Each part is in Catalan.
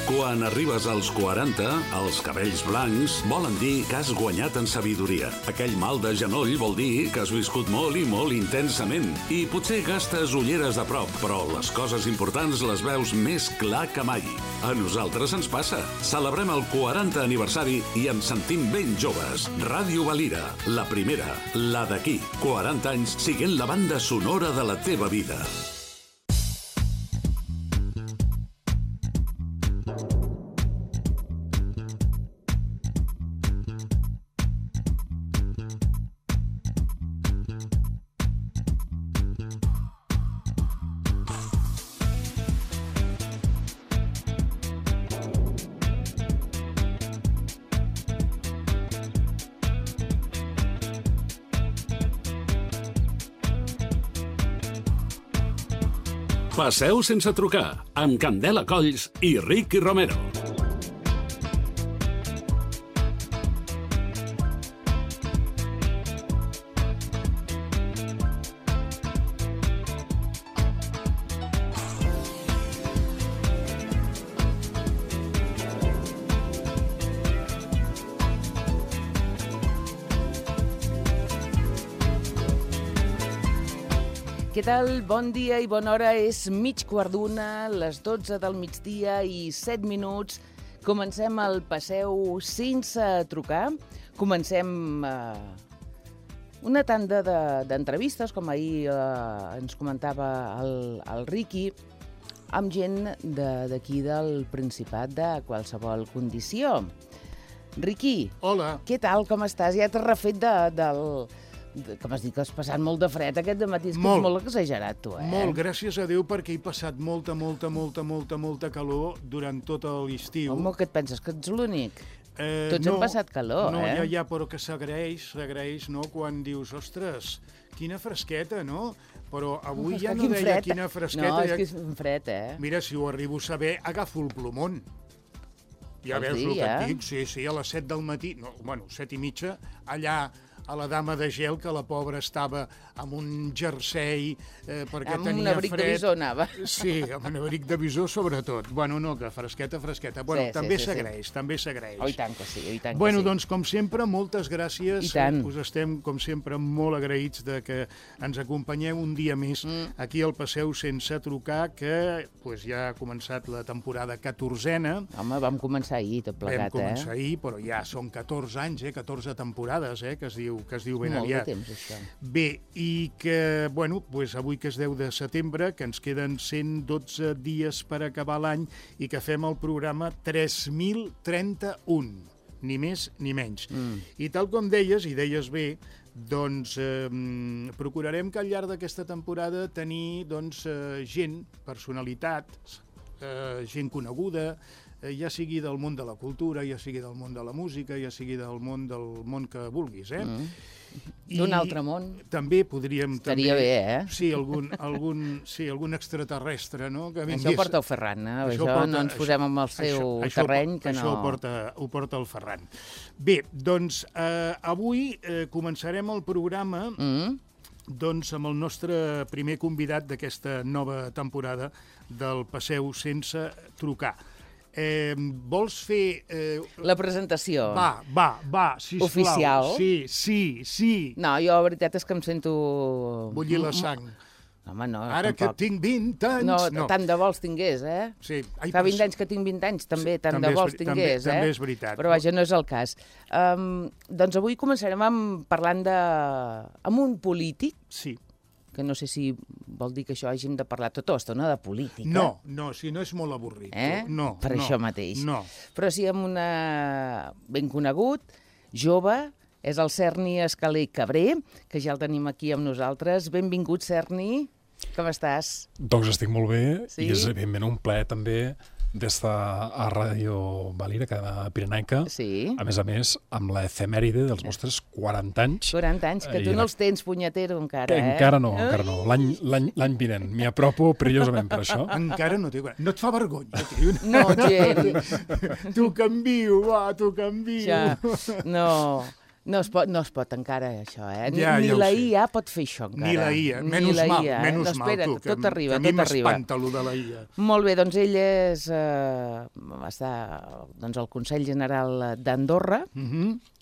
Quan arribes als 40, els cabells blancs volen dir que has guanyat en sabidoria. Aquell mal de genoll vol dir que has viscut molt i molt intensament. I potser gastes ulleres de prop, però les coses importants les veus més clar que mai. A nosaltres ens passa. Celebrem el 40 aniversari i ens sentim ben joves. Ràdio Valira, la primera, la d'aquí. 40 anys siguent la banda sonora de la teva vida. Passeu sense trucar, amb Candela Colls i Ricky Romero. Què tal? Bon dia i bona hora. És 12:15, les 12 del migdia i 7 minuts. Comencem el Passeu sense trucar. Comencem una tanda d'entrevistes, com ahir ens comentava el Ricky, amb gent d'aquí del Principat de qualsevol condició. Ricky, hola. Què tal? Com estàs? Ja t'has refet com has dit que has passat molt de fred aquest dematí, és que és molt exagerat, tu, eh? Molt, gràcies a Déu, perquè he passat molta calor durant tot l'estiu. Home, què et penses, que ets l'únic? Tots hem passat calor, no, eh? Ja, però que s'agraeix, no?, quan dius, ostres, quina fresqueta, no? Però avui ja no deia quina fresqueta. No, és que és fred, eh? Mira, si ho arribo a saber, agafo el plomón. Ja veus el que et dic? Sí, a les 7 del matí, no, bueno, 7 i mitja, allà a la Dama de Gel, que la pobra estava amb un jersei perquè tenia fred. Amb un abric de bisó anava. Sí, amb un abric de bisó sobretot. Bueno, no, que fresqueta. Bueno, també s'agraeix. Oh, i tant que sí, Bueno, doncs, com sempre, moltes gràcies. Us estem, com sempre, molt agraïts de que ens acompanyeu un dia més aquí al Passeu sense trucar, que ja ha començat la temporada 14a. Home, vam començar ahir, tot plegat, Vam començar ahir, però ja són 14 anys, 14 temporades, que es diu ben aviat. Molt de temps, això. Bé, i que, avui que és 10 de setembre, que ens queden 112 dies per acabar l'any i que fem el programa 3031, ni més ni menys. I tal com deies, i deies bé, doncs procurarem que al llarg d'aquesta temporada tenir gent, personalitats, gent coneguda, ja sigui del món de la cultura, ja sigui del món de la música, ja sigui del món que vulguis, D'un altre món. També podríem... Estaria bé, eh? Sí, algun extraterrestre, no? Això ho porta el Ferran, Això no ens posem en el seu terreny, que no... Això ho porta el Ferran. Bé, doncs, avui començarem el programa amb el nostre primer convidat d'aquesta nova temporada del Passeu sense trucar. Vols fer... La presentació. Va, sisplau. Oficial. Sí. No, jo la veritat és que em sento... Bullir la sang. Home, no, Ara tampoc. Que tinc 20 anys... No, tant de bo els tingués, eh? Sí. Fa 20 anys que tinc 20 anys, també, tant de bo els tingués, També és veritat. Però vaja, no és el cas. Doncs avui començarem parlant amb un polític. Sí. Que no sé si vol dir que això hàgim de parlar tota l'estona de política. No, si no és molt avorrit. No, per això mateix. No. Però sí amb una ben conegut, jove, és el Serni Escalé Cabré, que ja el tenim aquí amb nosaltres. Benvingut, Serni. Com estàs? Doncs estic molt bé, sí? I és evidentment un plaer també d'estar a Ràdio Valira, cadena pirenaica, sí. A més, amb l'efemèride dels vostres 40 anys. 40 anys, que tu no els tens, punyetero, encara, eh? Encara no. L'any vinent. M'hi apropo perillosament per això. Encara no té... No et fa vergonya, tio? No, gent. T'ho canvio, va, t'ho canvio. Ja. No... No es pot encara, això, eh? Ja Ni ho la sé. IA pot fer això, encara. Ni la IA. Ni Menys la mal, IA, menys no, espera, mal, tu, tot arriba, que a mi tot arriba. m'espanta allò de la IA. Molt bé, doncs ell està al Consell General d'Andorra,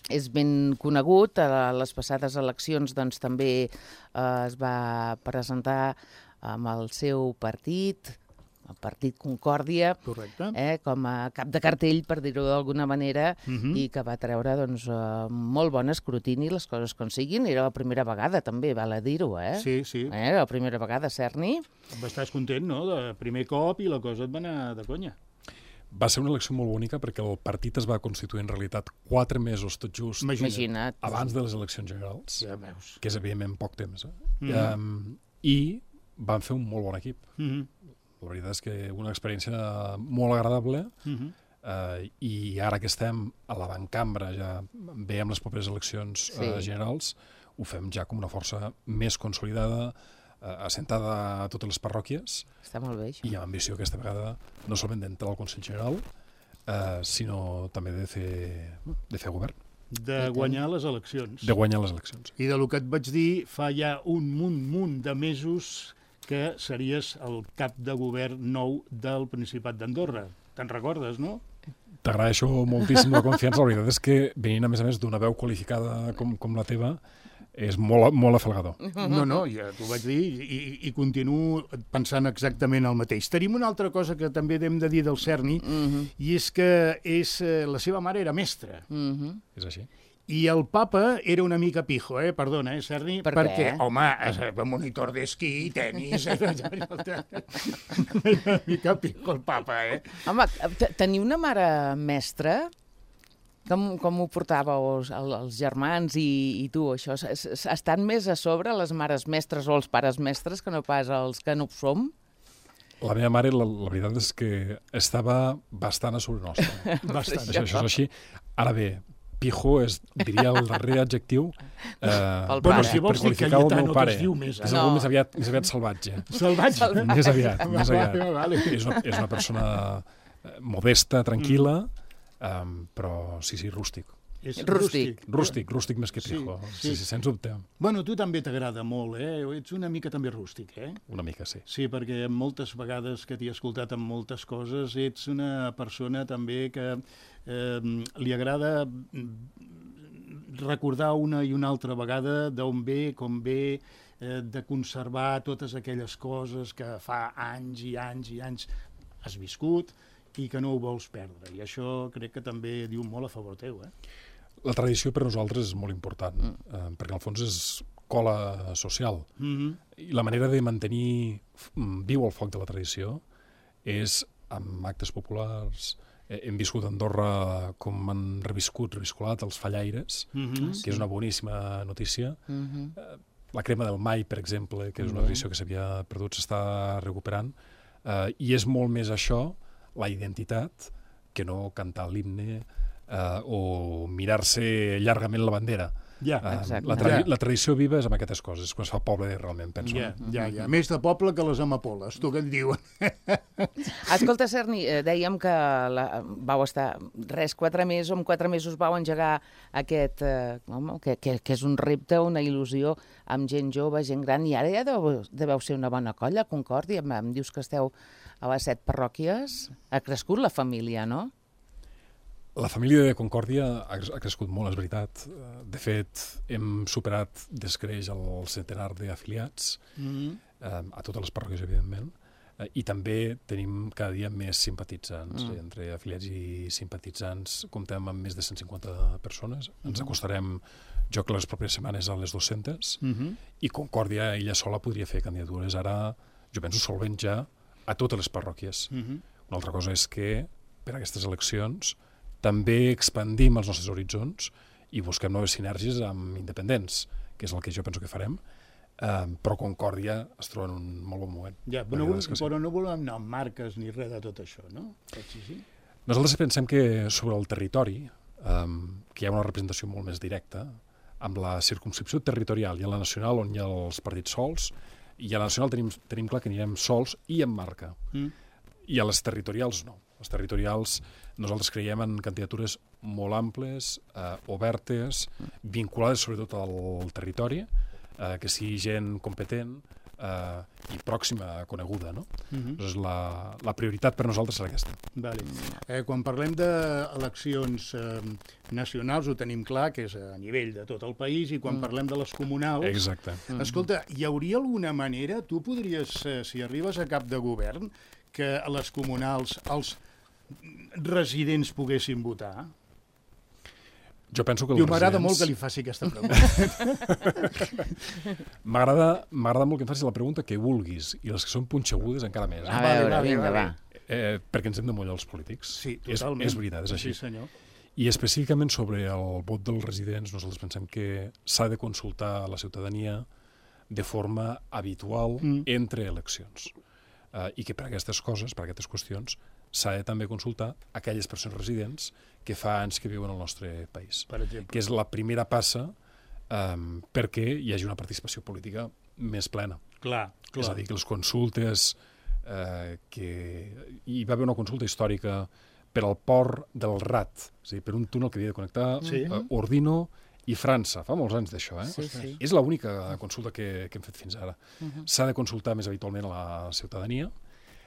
és ben conegut, a les passades eleccions doncs, també es va presentar amb el seu partit, el Partit Concòrdia, Correcte. com a cap de cartell, per dir-ho d'alguna manera, i que va treure molt bon escrutini, les coses com siguin. Era la primera vegada, també, val a dir-ho, eh? Sí. Era la primera vegada, Cerny. Estàs content, no?, de primer cop i la cosa et va anar de conya. Va ser una elecció molt bonica perquè el partit es va constituir en realitat 4 mesos tot just Imagina't. abans de les eleccions generals, Ja veus. que és evidentment poc temps. I van fer un molt bon equip. La veritat és que una experiència molt agradable i ara que estem a l'avancambra, ja veiem les properes eleccions generals, ho fem ja com una força més consolidada, assentada a totes les parròquies. Està molt bé, això. I amb ambició aquesta vegada no solament d'entrar al Consell General, sinó també de fer govern. De guanyar les eleccions. De guanyar les eleccions. I de lo que et vaig dir fa ja un munt de mesos que series el cap de govern nou del Principat d'Andorra. Te'n recordes, no? T'agraeixo moltíssim la confiança. La veritat és que venint, a més d'una veu qualificada com la teva, és molt afalgador. No, ja t'ho vaig dir i continuo pensant exactament el mateix. Tenim una altra cosa que també hem de dir del Cerny, i és que la seva mare era mestra. És així. I el papa era una mica pijo, perdona, Cerny? Per perquè, què? home, monitor d'esquí, tenis... una mica pijo el papa, Home, tenir una mare mestra, com ho portàveu els germans i tu, això? Estan més a sobre les mares mestres o els pares mestres que no pas els que no ho som? La meva mare, la veritat és que estava bastant a sobre nostra. Bastant. Això és així. Ara bé, pijo diria el darrer adjectiu Bueno, si vols dir Cayetano, que es diu més. És algú més aviat salvatge. Salvatge? Més aviat. Vale. És una persona modesta, tranquil·la, però sí, rústic. Rústic més que pijo, sí, sens dubte. Bueno, tu també t'agrada molt, Ets una mica també rústic, Una mica, sí. Sí, perquè moltes vegades que t'he escoltat en moltes coses ets una persona també que li agrada recordar una i una altra vegada d'on ve, com ve, de conservar totes aquelles coses que fa anys i anys i anys has viscut i que no ho vols perdre. I això crec que també diu molt a favor teu, La tradició per nosaltres és molt important, perquè al fons és cola social. I la manera de mantenir viu el foc de la tradició és amb actes populars. Hem viscut a Andorra com han reviscolat els fallaires, que és una boníssima notícia. La crema del mai, per exemple, que és una tradició que s'havia perdut, s'està recuperant. I és molt més això, la identitat, que no cantar l'himne o mirar-se llargament la bandera. La tradició viva és amb aquestes coses, quan es fa poble realment, penso. Ja. Més de poble que les amapoles, tu què et diuen? Escolta, Cerny, dèiem que vau estar 4 mesos, en 4 mesos vau engegar aquest, que és un repte, una il·lusió, amb gent jove, gent gran, i ara ja deveu ser una bona colla, Concòrdia, em dius que esteu a les 7 parròquies. Ha crescut la família, no? La família de Concòrdia ha crescut molt, és veritat. De fet, hem superat descreix el centenar d'afiliats, a totes les parròquies, evidentment, i també tenim cada dia més simpatitzants. Entre afiliats i simpatitzants comptem amb més de 150 persones. Ens acostarem, jo que les properes setmanes, a les 200, i Concòrdia ella sola podria fer candidatures ara, jo penso, solvent ja a totes les parròquies. Una altra cosa és que, per a aquestes eleccions, també expandim els nostres horitzons i busquem noves sinergies amb independents, que és el que jo penso que farem, però Concòrdia es troba en un molt bon moment. Però no volem anar amb marques ni res de tot això, no? Nosaltres pensem que sobre el territori, que hi ha una representació molt més directa, amb la circumscripció territorial i a la nacional, on hi ha els partits sols, i a la nacional tenim clar que anirem sols i amb marca. I a les territorials no. Les territorials, nosaltres creiem en candidatures molt amples, obertes, vinculades sobretot al territori, que sigui gent competent i pròxima, coneguda, no? Doncs la prioritat per nosaltres serà aquesta. Vale. Quan parlem d'eleccions nacionals ho tenim clar, que és a nivell de tot el país, i quan parlem de les comunals... Exacte. Escolta, hi hauria alguna manera, tu podries, si arribes a cap de govern, que a les comunals els residents poguessin votar? Jo penso que m'agrada molt que li faci aquesta pregunta. M'agrada molt que em facis la pregunta que vulguis, i les que són punxegudes encara més. A veure, vinga, va. Perquè ens hem de mullar els polítics. Sí, totalment. És veritat, és així. Sí, senyor. I específicament sobre el vot dels residents, nosaltres pensem que s'ha de consultar a la ciutadania de forma habitual entre eleccions. I que per aquestes coses, per aquestes qüestions, s'ha de també consultar aquelles persones residents que fa anys que viuen al nostre país. Per exemple. Que és la primera passa perquè hi hagi una participació política més plena. Clar. És a dir, que les consultes... Hi va haver una consulta històrica per al port del Rat, és a dir, per un túnel que havia de connectar Ordino i França. Fa molts anys d'això, eh? Sí. És l'única consulta que hem fet fins ara. S'ha de consultar més habitualment a la ciutadania,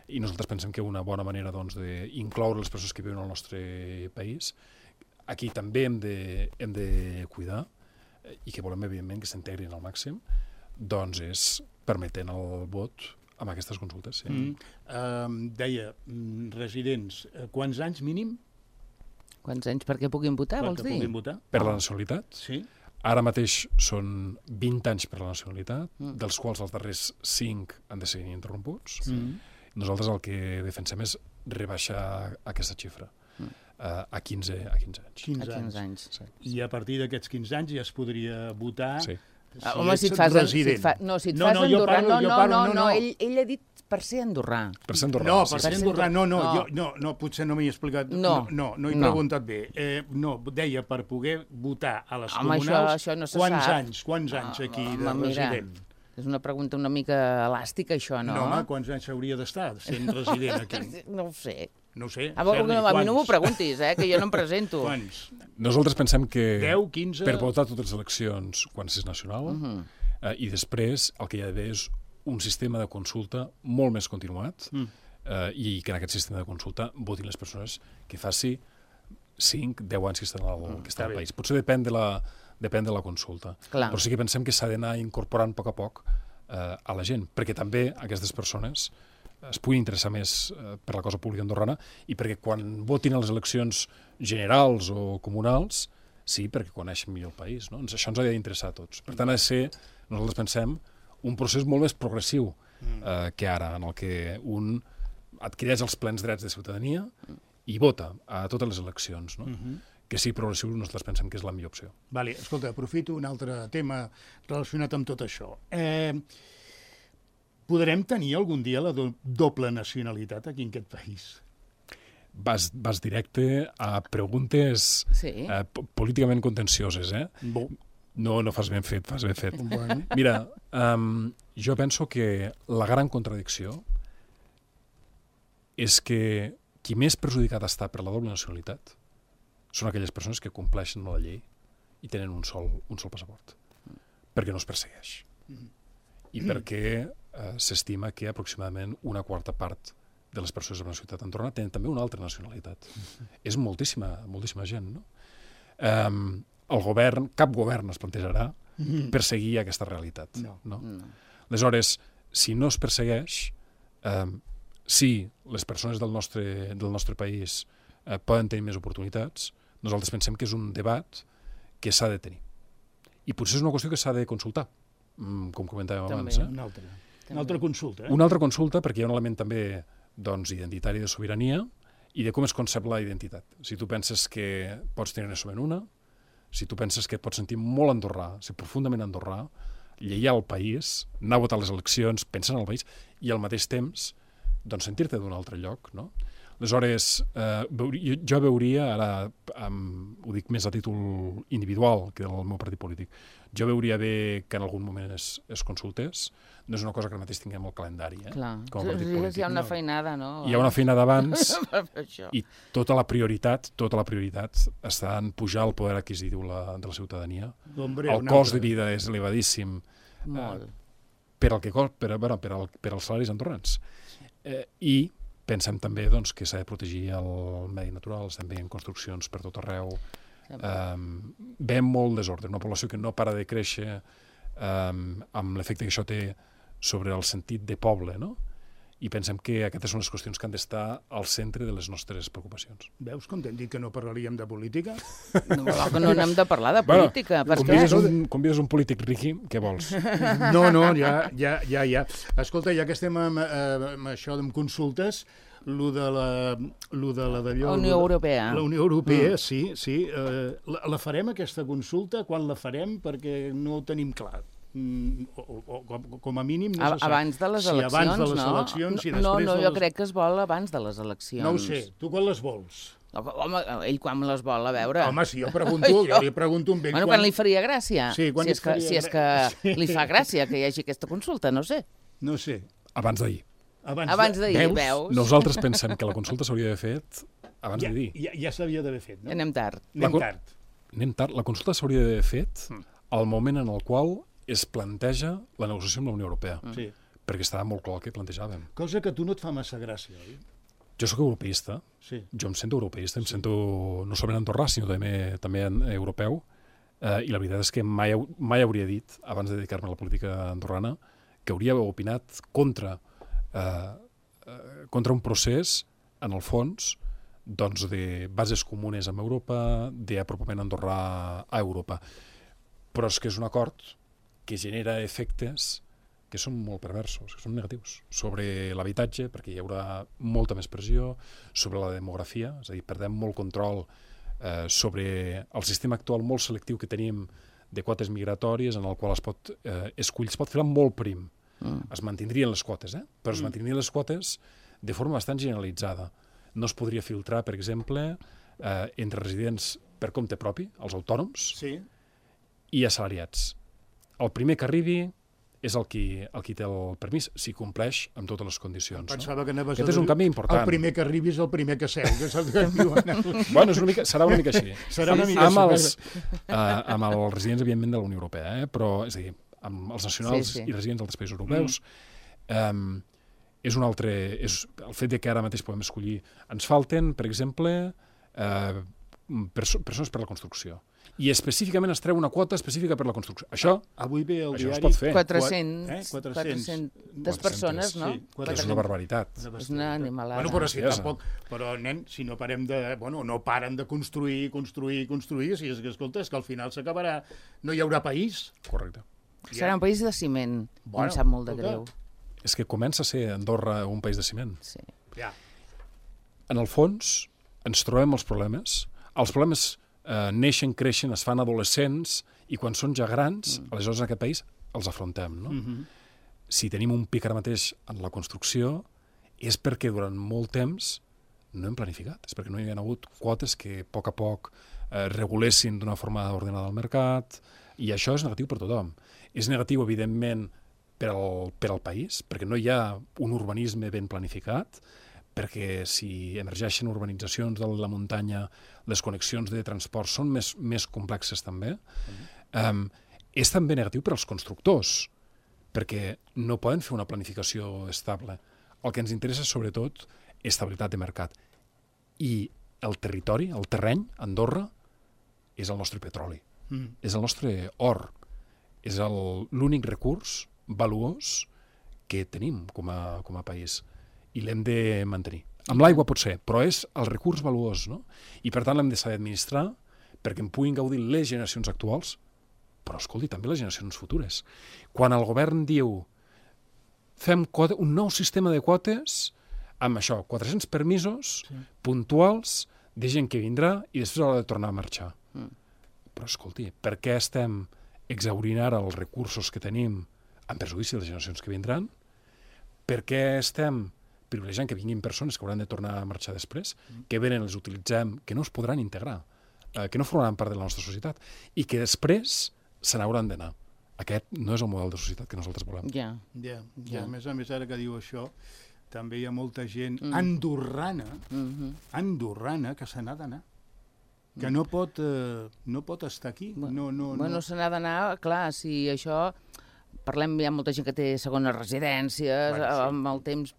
i nosaltres pensem que una bona manera d'incloure les persones que viuen al nostre país, aquí també hem de cuidar, i que volem, evidentment, que s'integrin al màxim, doncs és permetent el vot amb aquestes consultes. Sí. Deia, residents, quants anys mínim? Quants anys perquè puguin votar, vols dir? Puguin votar? Per la nacionalitat? Sí. Ara mateix són 20 anys per la nacionalitat, dels quals els darrers 5 han de ser ininterromputs. Nosaltres el que defensem és rebaixar aquesta xifra a 15 anys. 15 anys. Sí. I a partir d'aquests 15 anys ja es podria votar... Sí. Home, si et fas andorrà... No, ell ha dit per ser andorrà. Per ser andorrà. No, per ser andorrà, no, potser no m'hi he explicat. No, he preguntat bé. No, deia per poder votar a les comunals, això no se sap. Quants anys aquí de resident? És una pregunta una mica elàstica, això, no? No, home, quants anys hauria d'estar sent resident aquí? No ho sé. No ho sé. A mi no m'ho preguntis, que jo no em presento. Quants? Nosaltres pensem que 10, 15... per votar totes les eleccions quan és nacional, i després el que hi ha d'haver és un sistema de consulta molt més continuat, i que en aquest sistema de consulta votin les persones que faci 5, 10 anys que estan al país. Potser depèn de la consulta. Clar. Però sí que pensem que s'ha d'anar incorporant a poc a la gent, perquè també aquestes persones es puguin interessar més per la cosa pública andorrana, i perquè quan votin a les eleccions generals o comunals, sí, perquè coneixen millor el país. No? Això ens ha d'interessar a tots. Per tant, ha de ser, nosaltres pensem, un procés molt més progressiu que ara, en el que un adquireix els plens drets de ciutadania i vota a totes les eleccions, no? Que sí, progressiu, nosaltres pensem que és la millor opció. Vale, escolta, aprofito un altre tema relacionat amb tot això. Podrem tenir algun dia la doble nacionalitat aquí en aquest país? Vas directe a preguntes políticament contencioses, eh? No fas ben fet, fas ben fet. Bueno. Mira, jo penso que la gran contradicció és que qui més perjudicat està per la doble nacionalitat són aquelles persones que compleixen la llei i tenen un sol passaport, perquè no es persegueix. I perquè s'estima que aproximadament una quarta part de les persones de la ciutat andorrana tenen també una altra nacionalitat. És moltíssima gent, no? El govern, cap govern es plantejarà perseguir aquesta realitat. No? Aleshores, si no es persegueix, si les persones del nostre país poden tenir més oportunitats, nosaltres pensem que és un debat que s'ha de tenir. I potser és una qüestió que s'ha de consultar, com comentàvem abans. Una altra consulta. Una altra consulta, perquè hi ha un element també identitari de sobirania i de com es concep la identitat. Si tu penses que pots tenir solament una, si tu penses que et pots sentir molt andorrà, ser profundament andorrà, lleial al país, anar a votar les eleccions, pensar en el país, i al mateix temps sentir-te d'un altre lloc, no? Aleshores, jo veuria, ara ho dic més a títol individual que del meu partit polític, jo veuria bé que en algun moment es consultés. No és una cosa que ara mateix tinguem al calendari, Clar. com a partit polític. Hi ha una feinada, no? Hi ha una feinada abans Això. i tota la prioritat està en pujar el poder adquisitiu de la ciutadania. Hombre, El cost de vida és elevadíssim Molt. per als salaris andorrans. I pensem també doncs, que s'ha de protegir el medi natural, estem veient construccions per tot arreu, ve molt desordre, una població que no para de créixer, amb l'efecte que això té sobre el sentit de poble, no? I pensem que aquestes són les qüestions que han d'estar al centre de les nostres preocupacions. Veus com t'hem dit que no parlaríem de política? No, que no n'hem de parlar de política. Convides un polític riqui, què vols? No, ja. Escolta, ja que estem amb això de consultes, lo de La Unió Europea. La Unió Europea, sí. La farem, aquesta consulta? Quan la farem? Perquè no ho tenim clar. O com a mínim no se sap. Abans de les eleccions, abans de les eleccions i després no, jo crec que es vol abans de les eleccions. No ho sé. Tu quan les vols? Home, ell quan les vol, a veure. Home, si jo li pregunto amb ell... Bueno, quan li faria gràcia. Sí, quan si és que li fa gràcia que hi hagi aquesta consulta, no sé. No sé. Abans d'ahir. Abans d'ahir, veus? Nosaltres pensem que la consulta s'hauria d'haver fet abans d'ahir. Ja s'havia d'haver fet, no? Anem tard. Anem tard. La consulta s'hauria d'haver fet al moment en el qual es planteja la negociació amb la Unió Europea. Sí. Perquè estava molt clar el que plantejàvem. Cosa que a tu no et fa massa gràcia, oi? Jo sóc europeista. Sí. Jo em sento europeista, em sento no solament andorrà, sinó també europeu. I la veritat és que mai hauria dit, abans de dedicar-me a la política andorrana, que hauria opinat contra un procés, en el fons, doncs, de bases comunes amb Europa, d'apropament andorrà a Europa. Però és que és un acord que genera efectes que són molt perversos, que són negatius, sobre l'habitatge, perquè hi haurà molta més pressió, sobre la demografia, és a dir, perdem molt control sobre el sistema actual molt selectiu que tenim de quotes migratòries, en el qual es pot filar molt prim. Es mantindrien les quotes, però es mantindrien les quotes de forma bastant generalitzada. No es podria filtrar, per exemple, entre residents per compte propi, els autònoms, i assalariats. El primer que arribi és el qui té el permís, si compleix amb totes les condicions. Pensava que anaves Aquest és un canvi important. El primer que arribi és el primer que seu, que és el que diuen. Bueno, serà una mica així. Serà una mica així. Amb els residents, evidentment, de la Unió Europea, però, és a dir, amb els nacionals i residents d'altres països europeus, és un altre... El fet de que ara mateix podem escollir... Ens falten, per exemple, persones per a la construcció. I específicament es treu una quota específica per la construcció. Això avui ve el diari... es pot fer. 400 persones, no? Sí, és una barbaritat. És una animalada. Bueno, però si tampoc... Però, nen, si no parem de... Bueno, no paren de construir, si és que, escolta, és que al final s'acabarà... No hi haurà país. Correcte. Serà un país de ciment, em sap molt de greu. És que comença a ser Andorra un país de ciment. Sí. Ja. En el fons, ens trobem els problemes. Els problemes neixen, creixen, es fan adolescents, i quan són ja grans, aleshores en aquest país els afrontem, no? Si tenim un pic ara mateix en la construcció, és perquè durant molt temps no hem planificat, és perquè no hi ha hagut quotes que a poc regulessin d'una forma ordenada al mercat, i això és negatiu per tothom. És negatiu, evidentment, per al país, perquè no hi ha un urbanisme ben planificat, perquè si emergeixen urbanitzacions de la muntanya, les connexions de transport són més complexes també. És també negatiu per als constructors, perquè no poden fer una planificació estable. El que ens interessa, sobretot, és estabilitat de mercat. I el territori, el terreny, Andorra, és el nostre petroli, és el nostre or, és l'únic recurs valuós que tenim com a país. I l'hem de mantenir. Amb l'aigua pot ser, però és el recurs valuós, no? I per tant l'hem de saber administrar perquè en puguin gaudir les generacions actuals, però, escolti, també les generacions futures. Quan el govern diu fem un nou sistema de quotes amb això, 400 permisos puntuals de gent que vindrà i després haurà de tornar a marxar. Però, escolti, per què estem exhaurint ara els recursos que tenim en perjudici de les generacions que vindran? Per què estem privilegiant que vinguin persones que hauran de tornar a marxar després, que venen, els utilitzem, que no es podran integrar que no formaran part de la nostra societat i que després se n'hauran d'anar. Aquest no és el model de societat que nosaltres volem. Ja. A més, ara que diu això, també hi ha molta gent andorrana que se n'ha d'anar, que no pot estar aquí. Bueno, se n'ha d'anar, clar, si això... Parlem, hi ha molta gent que té segones residències, amb el temps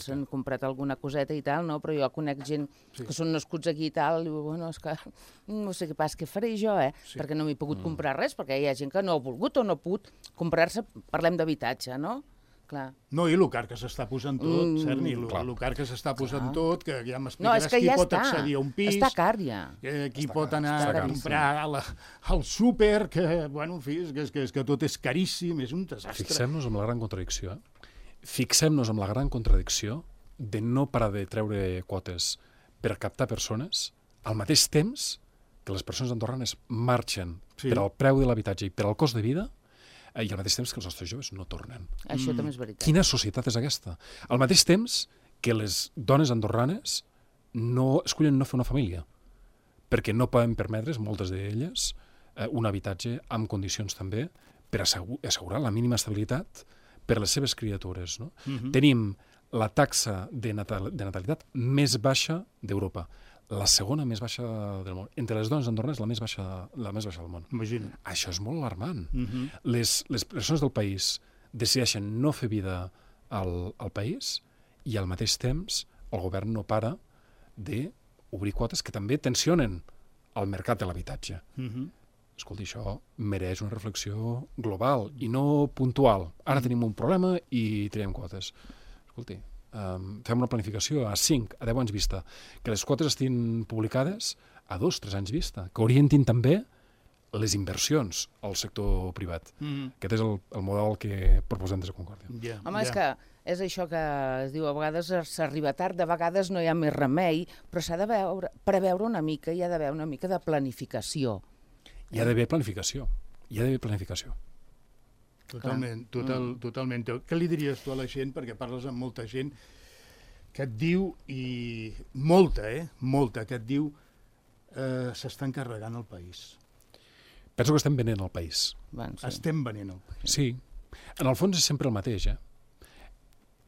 s'han comprat alguna coseta i tal, no? Però jo conec gent que són nascuts aquí i tal, i diu, bueno, és que no sé què passa, què faré jo, perquè no m'he pogut comprar res, perquè hi ha gent que no ha volgut o no ha pogut comprar-se, parlem d'habitatge, no? Clar. No, i el car que s'està posant tot, Cerny, el car que s'està posant tot, que ja m'explicaràs qui pot accedir a un pis, està car ja. Qui pot anar a comprar al súper, que, bueno, en fi, és que tot és caríssim, és un desastre. Fixem-nos en la gran contradicció, Fixem-nos en la gran contradicció de no parar de treure quotes per captar persones, al mateix temps que les persones andorranes marxen per al preu de l'habitatge i per al cost de vida, i al mateix temps que els nostres joves no tornen. Això també és veritat. Quina societat és aquesta? Al mateix temps que les dones andorranes no escollen no fer una família, perquè no poden permetre's, moltes d'elles, un habitatge amb condicions també per assegurar la mínima estabilitat per a les seves criatures. No? Tenim la taxa de natalitat més baixa d'Europa, la segona més baixa del món. Entre les dones andorranes, la més baixa del món. Imagina. Això és molt alarmant. Les persones del país decideixen no fer vida al país i al mateix temps el govern no para d'obrir quotes que també tensionen el mercat de l'habitatge. Escolti, això mereix una reflexió global i no puntual. Ara tenim un problema i traiem quotes. Escolti, fem una planificació a 5, a 10 anys vista, que les quotes estiguin publicades a 2, 3 anys vista, que orientin també les inversions al sector privat. Aquest és el model que proposem des de Concòrdia. Home, és que és això que es diu, a vegades s'arriba tard, de vegades no hi ha més remei, però s'ha de preveure una mica, hi ha d'haver una mica de planificació. Hi ha d'haver planificació. Totalment. Què li diries tu a la gent, perquè parles amb molta gent que et diu, i molta, que et diu s'estan carregant el país. Penso que estem venent el país. Estem venent el país. Sí. En el fons és sempre el mateix,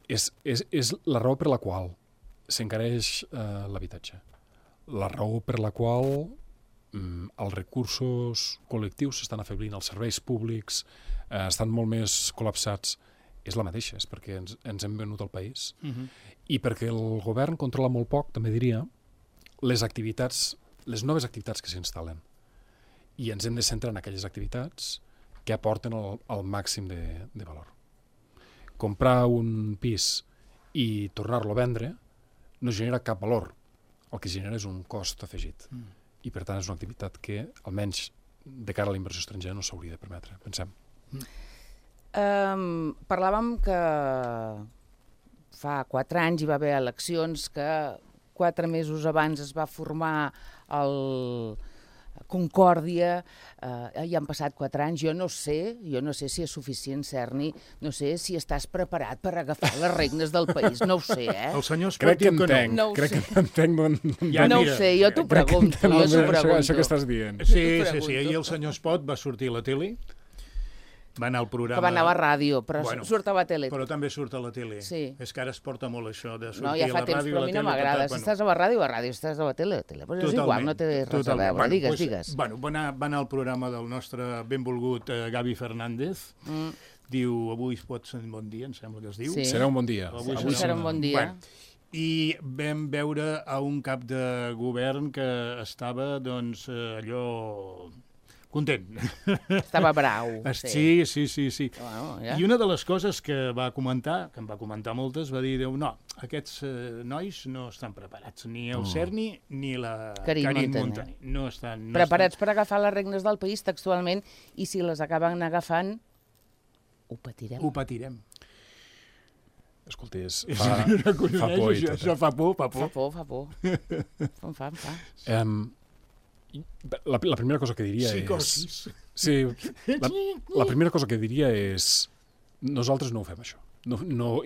És la raó per la qual s'encareix l'habitatge. La raó per la qual els recursos col·lectius s'estan afeblint, els serveis públics estan molt més col·lapsats, és la mateixa, és perquè ens hem venut el país i perquè el govern controla molt poc, també diria, les noves activitats que s'instal·len. I ens hem de centrar en aquelles activitats que aporten el màxim de valor. Comprar un pis i tornar-lo a vendre no genera cap valor. El que genera és un cost afegit. I, per tant, és una activitat que, almenys de cara a la inversió estrangera, no s'hauria de permetre, pensem. Parlàvem que fa 4 anys hi va haver eleccions, que 4 mesos abans es va formar el Concòrdia, ja han passat 4 anys, jo no sé si és suficient, Cerny, no sé si estàs preparat per agafar les regnes del país, no ho sé, El senyor Espot diu que no. Crec que entenc. No ho sé, jo t'ho pregunto. Això que estàs dient. Sí, ahir el senyor Espot va sortir a la tele, va anar al programa... Que va anar a la ràdio, però surt a la tele. Però també surt a la tele. Sí. És que ara es porta molt això de sortir a la ràdio. No, ja fa temps, però a mi no m'agrada. Si estàs a la ràdio, si estàs a la tele, Però és igual, no té res a veure. Digues. Bueno, va anar al programa del nostre benvolgut Gavi Fernández. Diu, avui pot ser un bon dia, em sembla que es diu. Serà un bon dia. Avui serà un bon dia. I vam veure a un cap de govern que estava, doncs, allò... content. Estava brau. Sí. I una de les coses que va comentar, que em va comentar moltes, va dir, no, aquests nois no estan preparats, ni el Cerny ni la Karin Montaner. No estan preparats per agafar les regnes del país textualment, i si les acaben agafant, ho patirem. Ho patirem. Escolta, fa por. Això fa por. Fa por. Em fa. La primera cosa que diria és... Sí, la primera cosa que diria és nosaltres no ho fem, això.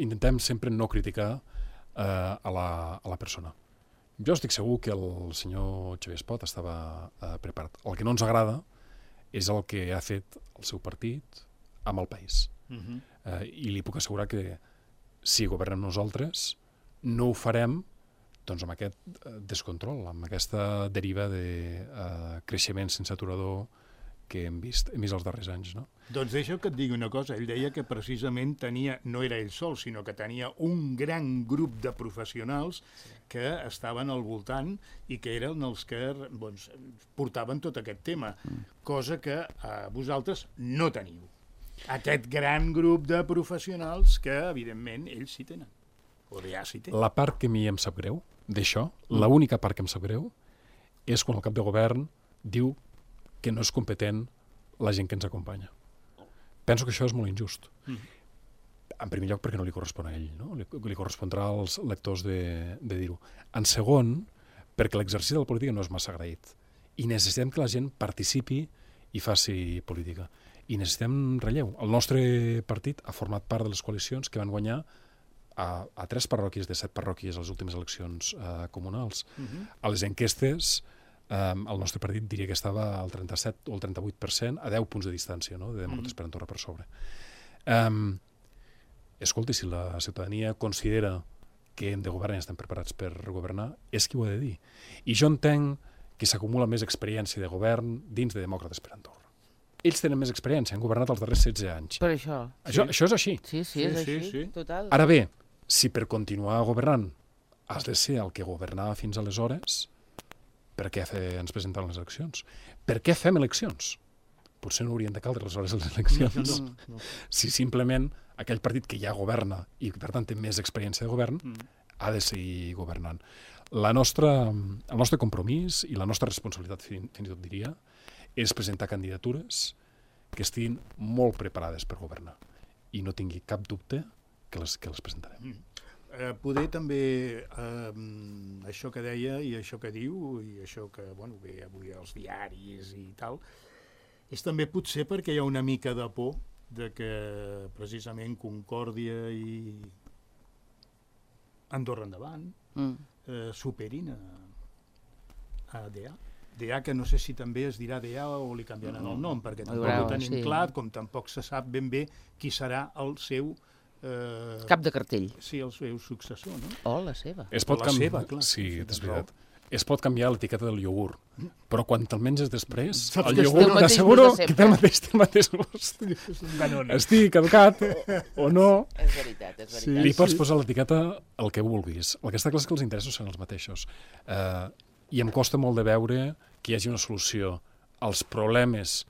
Intentem sempre no criticar a la persona. Jo estic segur que el senyor Xavier Espot estava preparat. El que no ens agrada és el que ha fet el seu partit amb el país. I li puc assegurar que si governem nosaltres no ho farem doncs, amb aquest descontrol, amb aquesta deriva de creixement sense aturador que hem vist els darrers anys. No? Doncs deixa que et digui una cosa. Ell deia que precisament no era ell sol, sinó que tenia un gran grup de professionals que estaven al voltant i que eren els que portaven tot aquest tema, cosa que vosaltres no teniu. Aquest gran grup de professionals que, evidentment, ells sí tenen. O ja sí tenen. La part que a mi em sap greu d'això, l'única part que em sap greu, és quan el cap de govern diu que no és competent la gent que ens acompanya. Penso que això és molt injust. En primer lloc, perquè no li correspon a ell, no? Li correspondrà als lectors de dir-ho. En segon, perquè l'exercici de la política no és massa agraït. I necessitem que la gent participi i faci política. I necessitem relleu. El nostre partit ha format part de les coalicions que van guanyar a 3 parròquies de 7 parròquies a les últimes eleccions comunals. A les enquestes, el nostre partit diria que estava al 37 o al 38%, a 10 punts de distància, no? De Demòcrates per Andorra per sobre. Escolti, si la ciutadania considera que hem de governar i estem preparats per governar, és qui ho ha de dir. I jo entenc que s'acumula més experiència de govern dins de Demòcrates per Andorra. Ells tenen més experiència, han governat els darrers 16 anys. Per això. Això és així. Sí, és així, total. Ara bé, si per continuar governant has de ser el que governava fins aleshores, per què ens presentem les eleccions? Per què fem eleccions? Potser no haurien de caldre aleshores les eleccions. No. Si simplement aquell partit que ja governa i per tant té més experiència de govern ha de seguir governant. El nostre compromís i la nostra responsabilitat, fins i tot diria, és presentar candidatures que estiguin molt preparades per governar. I no tingui cap dubte que les presentarem. Poder també això que deia i això que diu i això que ve avui als diaris i tal, és també potser perquè hi ha una mica de por de que precisament Concòrdia i Andorra Endavant superin a DA. DA, que no sé si també es dirà DA o li canviaran el nom, perquè tampoc ho tenim clar, com tampoc se sap ben bé qui serà el seu cap de cartell. Sí, el seu successor, no? O la seva. Es pot canviar, sí, és veritat. Es pot canviar l'etiqueta del iogurt, però quan te'l menges després, el iogurt t'asseguro que té el mateix gust. Estigui caducat o no. És veritat. Li pots posar l'etiqueta el que vulguis. El que està clar és que els interessos són els mateixos. I em costa molt de veure que hi hagi una solució als problemes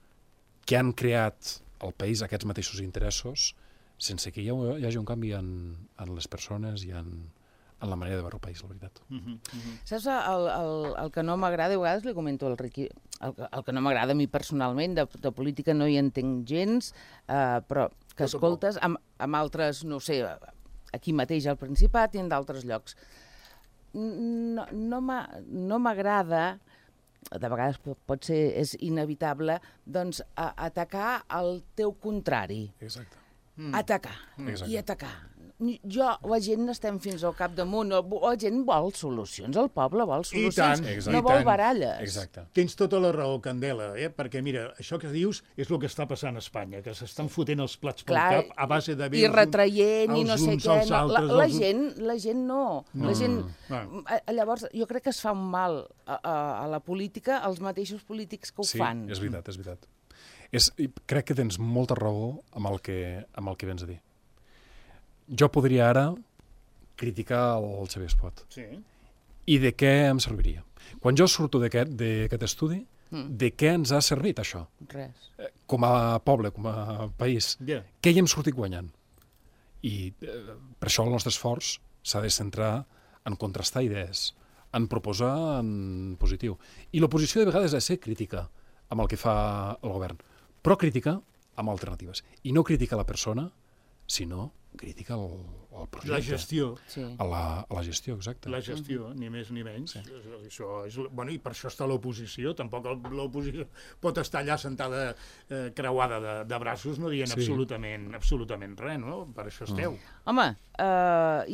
que han creat al país aquests mateixos interessos sense que hi hagi un canvi en les persones i en la manera de veure el país, la veritat. Saps, el que no m'agrada, a vegades li comento al Riqui, el que no m'agrada a mi personalment, de política no hi entenc gens, però que escoltes amb altres, no sé, aquí mateix al Principat i en d'altres llocs. No m'agrada, de vegades pot ser, és inevitable, doncs atacar el teu contrari. Exacte. Atacar i atacar. La gent n'estem fins al capdamunt, la gent vol solucions, el poble vol solucions, no vol baralles. Exacte. Tens tota la raó, Candela, perquè mira, això que dius és el que està passant a Espanya, que s'estan fotent els plats pel cap a base de i retraient i no sé què. La gent no. Llavors, jo crec que es fa un mal a la política, als mateixos polítics que ho fan. Sí, és veritat. Crec que tens molta raó amb el que vens a dir. Jo podria ara criticar el Xavier Espot. Sí. I de què em serviria? Quan jo surto d'aquest estudi, de què ens ha servit això? Res. Com a poble, com a país. Què hi hem sortit guanyant? I per això el nostre esforç s'ha de centrar en contrastar idees, en proposar en positiu. I l'oposició de vegades ha de ser crítica amb el que fa el govern, però crítica amb alternatives. I no crítica la persona, sinó crítica al projecte. La gestió. Sí. A la gestió, exacte. La gestió, ni més ni menys. Això és, bueno, I per això està l'oposició. Tampoc l'oposició pot estar allà sentada creuada de braços, no dient absolutament res, no? Per això esteu. Home,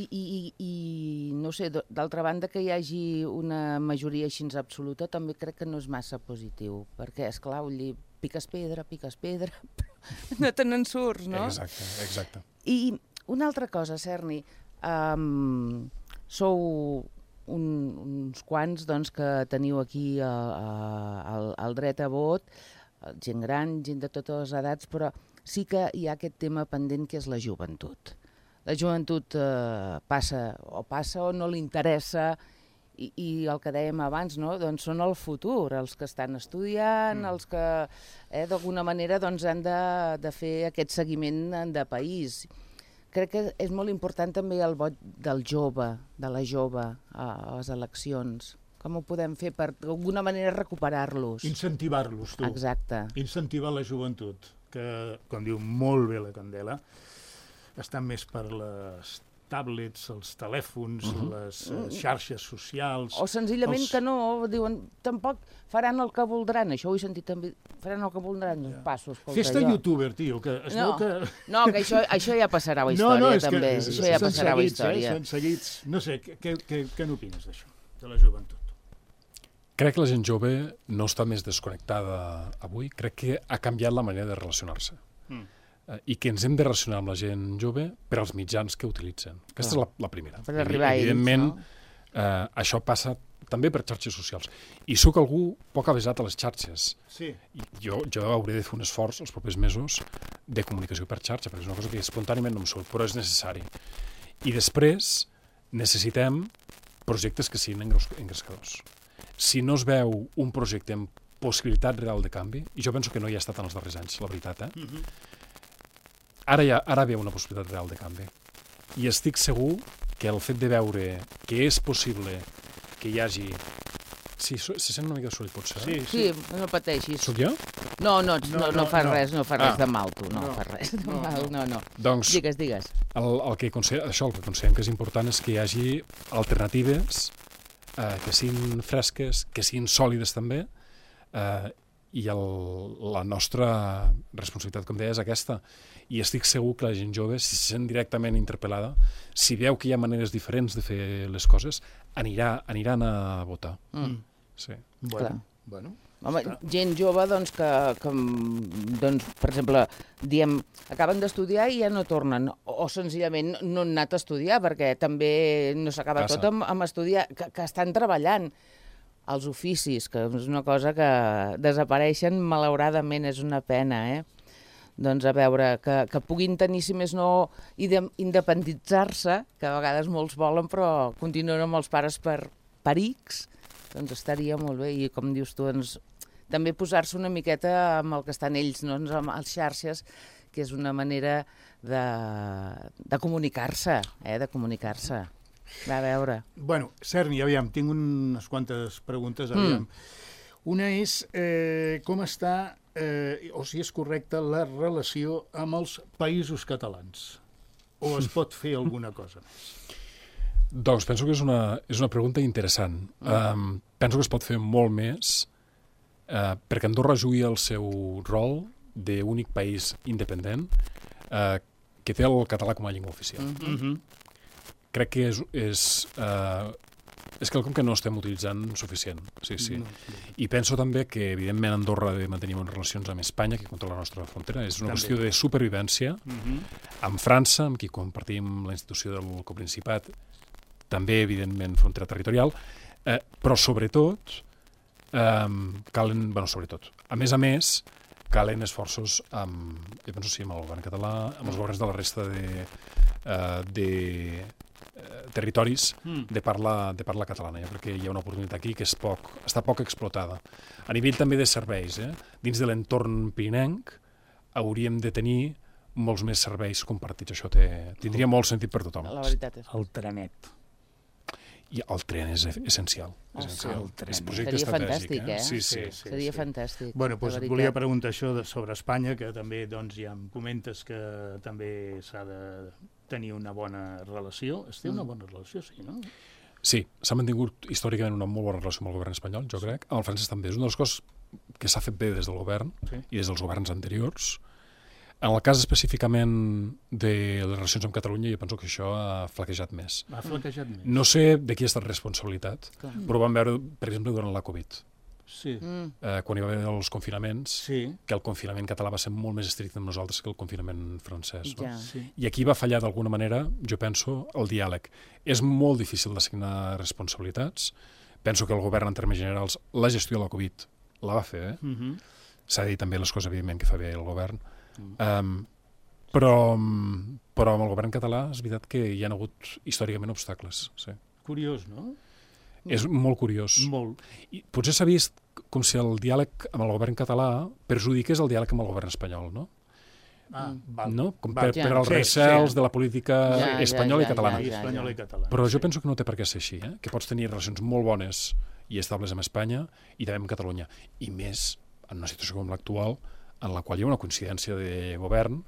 i no sé, d'altra banda que hi hagi una majoria així absoluta també crec que no és massa positiu, perquè, esclar, vull dir, piques pedra, no te n'en surts, no? Exacte. I una altra cosa, Serni, sou uns quants doncs, que teniu aquí el dret a vot, gent gran, gent de totes les edats, però sí que hi ha aquest tema pendent que és la joventut. La joventut passa o no li interessa, i el que dèiem abans, no? Doncs són el futur, els que estan estudiant, els que d'alguna manera doncs, han de fer aquest seguiment de país. Crec que és molt important també el vot del jove, de la jove, a les eleccions. Com ho podem fer per d'alguna manera recuperar-los? Incentivar-los, tu. Exacte. Incentivar la joventut, que, com diu molt bé la Candela, estan més per les tablets, els telèfons, les xarxes socials... O senzillament que no, diuen, tampoc faran el que voldran, això ho he sentit també, faran el que voldran, passo, escolta, Fes-te youtuber, tio, que es veu que... No, que això ja passarà a la història, també, això ja passarà a la història. Són seguits, no sé, què n'opines d'això, de la joventut? Crec que la gent jove no està més desconnectada avui, crec que ha canviat la manera de relacionar-se. I que ens hem de relacionar amb la gent jove per als mitjans que utilitzen. Aquesta és la primera. Per arribar a ells, evidentment, no? Això passa també per xarxes socials. I sóc algú poc avesat a les xarxes. Sí. Jo hauré de fer un esforç els propers mesos de comunicació per xarxa, perquè és una cosa que espontàniament no em surt, però és necessari. I després necessitem projectes que siguin engrescadors. Si no es veu un projecte amb possibilitat real de canvi, i jo penso que no hi ha estat en els darrers anys, la veritat, Ara ve una possibilitat real de canvi. I estic segur que el fet de veure que és possible que hi hagi... Sí, se sent una mica de soroll, potser. Sí, no pateixis. Soc jo? No fas res de mal, tu, no fas res de mal, no. Doncs, digues. El que considerem que és important és que hi hagi alternatives que siguin fresques, que siguin sòlides també, i la nostra responsabilitat, com deia, és aquesta. I estic segur que la gent jove, si se sent directament interpel·lada, si veu que hi ha maneres diferents de fer les coses, aniran a votar. Sí. Bueno. Home, gent jove, doncs, que doncs, per exemple, diem, acaben d'estudiar i ja no tornen, o senzillament no han anat a estudiar, perquè també no s'acaba tot amb estudiar, que estan treballant. Els oficis, que és una cosa que desapareixen, malauradament, és una pena, Doncs a veure, que puguin tenir, si més no, independitzar-se, que a vegades molts volen, però continuen amb els pares per X, doncs estaria molt bé. I com dius tu, doncs, també posar-se una miqueta amb el que estan ells, no? Amb les xarxes, que és una manera de comunicar-se, de comunicar-se. Va, a veure. Bueno, Serni, aviam, tinc unes quantes preguntes, aviam. Una és com està, o si és correcta, la relació amb els països catalans. O es pot fer alguna cosa més? Doncs penso que és una pregunta interessant. Penso que es pot fer molt més, perquè Andorra jugui el seu rol d'únic país independent que té el català com a llengua oficial. Crec que és quelcom que no estem utilitzant suficient. Sí. I penso també que, evidentment, Andorra ha de mantenir bones relacions amb Espanya, que controla la nostra frontera. És una qüestió de supervivència. Amb França, amb qui compartim la institució del Coprincipat, també, evidentment, frontera territorial. Però, sobretot, a més, calen esforços amb el govern català, amb els governs de la resta de territoris de parla catalana. Jo crec que hi ha una oportunitat aquí que està poc explotada. A nivell també de serveis, dins de l'entorn pirinenc hauríem de tenir molts més serveis compartits. Això tindria molt sentit per tothom. La veritat és. El trenet. I el tren és essencial. El tren. És projecte estratègic. Sí. Seria fantàstic. Bueno, doncs et volia preguntar això sobre Espanya, que també doncs, ja em comentes que també s'ha de tenir una bona relació. Es té una bona relació, sí, no? Sí, s'ha mantingut històricament una molt bona relació amb el govern espanyol, jo crec. Amb el francès també. És una de les coses que s'ha fet bé des del govern i des dels governs anteriors. En el cas específicament de les relacions amb Catalunya, jo penso que això ha flaquejat més. Ha flaquejat més. No sé de qui ha estat responsabilitat, però ho vam veure, per exemple, durant la Covid. Sí. Quan hi va haver els confinaments, Sí. que el confinament català va ser molt més estricte amb nosaltres que el confinament francès. No? Ja. Sí. I aquí va fallar d'alguna manera, jo penso, el diàleg. És molt difícil d'assignar responsabilitats. Penso que el govern, en termes generals, la gestió de la Covid la va fer bé. S'ha de dir també les coses, evidentment, que fa bé el govern. Però amb el govern català és veritat que hi ha hagut històricament obstacles. Sí. Curiós, no? És molt curiós. Molt. I potser s'ha vist com si el diàleg amb el govern català perjudiqués el diàleg amb el govern espanyol, no? Val. No? Com Val. per als recels de la política espanyola i catalana. I espanyol i català. Però jo penso que no té per què ser així, que pots tenir relacions molt bones i estables amb Espanya i també amb Catalunya. I més en una situació com l'actual, en la qual hi ha una coincidència de govern,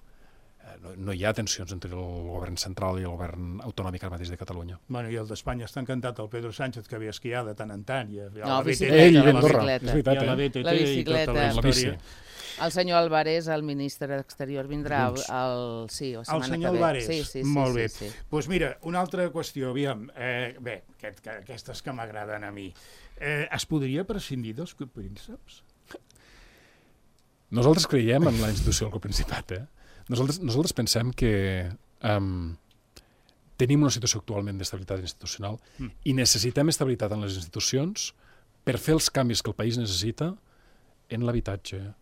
no hi ha tensions entre el govern central i el govern autonòmic ara mateix de Catalunya. Bueno, i el d'Espanya està encantat, el Pedro Sánchez, que ve a esquiar de tant en tant. No, Ell i Andorra, és I veritat, a la BTT La i bicicleta. tota la La bici. història. El senyor Álvarez, el ministre d'Exterior, vindrà la El setmana senyor que ve. Álvarez, Sí, molt bé. sí. Doncs mira, una altra qüestió, aviam, bé, aquestes que m'agraden a mi. Es podria prescindir dels prínceps? Nosaltres creiem en la institució del Coprincipat. Nosaltres pensem que tenim una situació actualment d'estabilitat institucional i necessitem estabilitat en les institucions per fer els canvis que el país necessita en l'habitatge,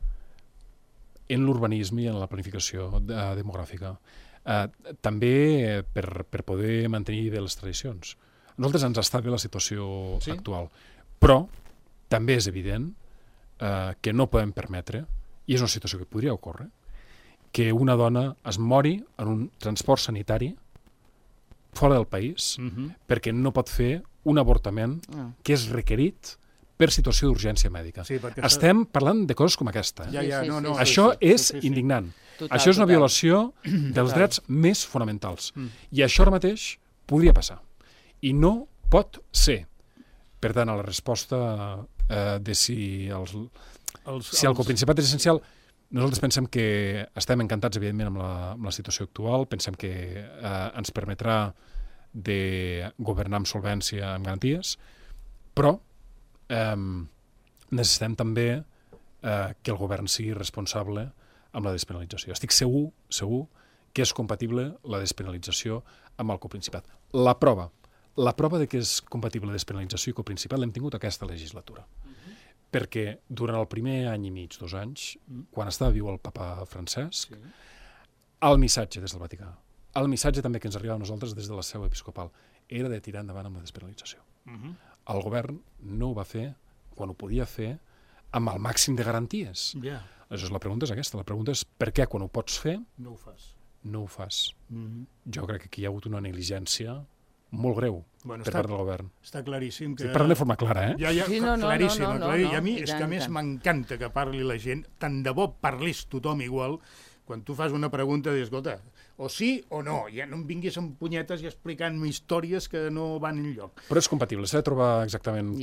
en l'urbanisme i en la planificació demogràfica. També per poder mantenir bé les tradicions. A nosaltres ens està bé la situació actual, però també és evident que no podem permetre, i és una situació que podria ocórrer, que una dona es mori en un transport sanitari fora del país perquè no pot fer un avortament que és requerit per situació d'urgència mèdica. Sí, perquè Estem parlant de coses com aquesta. Això és indignant. Això és una violació dels drets més fonamentals. I això ara mateix podria passar. I no pot ser. Per tant, a la resposta de si el coprincipat és essencial, nosaltres pensem que estem encantats, evidentment, amb la situació actual, pensem que ens permetrà de governar amb solvència, amb garanties, però necessitem també que el govern sigui responsable amb la despenalització. Estic segur que és compatible la despenalització amb el coprincipat. La prova de que és compatible la despenalització i coprincipat l'hem tingut aquesta legislatura. Perquè durant el primer any i mig, 2 anys, quan estava viu el papa Francesc, el missatge des del Vaticà, el missatge també que ens arribava a nosaltres des de la seu episcopal, era de tirar endavant amb la despenalització. El govern no ho va fer quan ho podia fer amb el màxim de garanties. Aleshores, la pregunta és aquesta. La pregunta és per què quan ho pots fer no ho fas. No ho fas. Jo crec que aquí hi ha hagut una negligència molt greu per part del govern. Està claríssim que... Parlant de forma clara, Claríssim. I a mi és que a més tant. m'encanta que parli la gent, tant de bo parlés tothom igual, quan tu fas una pregunta, dius, escolta, o sí o no, ja no em vinguis amb punyetes i explicant-me històries que no van enlloc. Però és compatible, s'ha de trobar exactament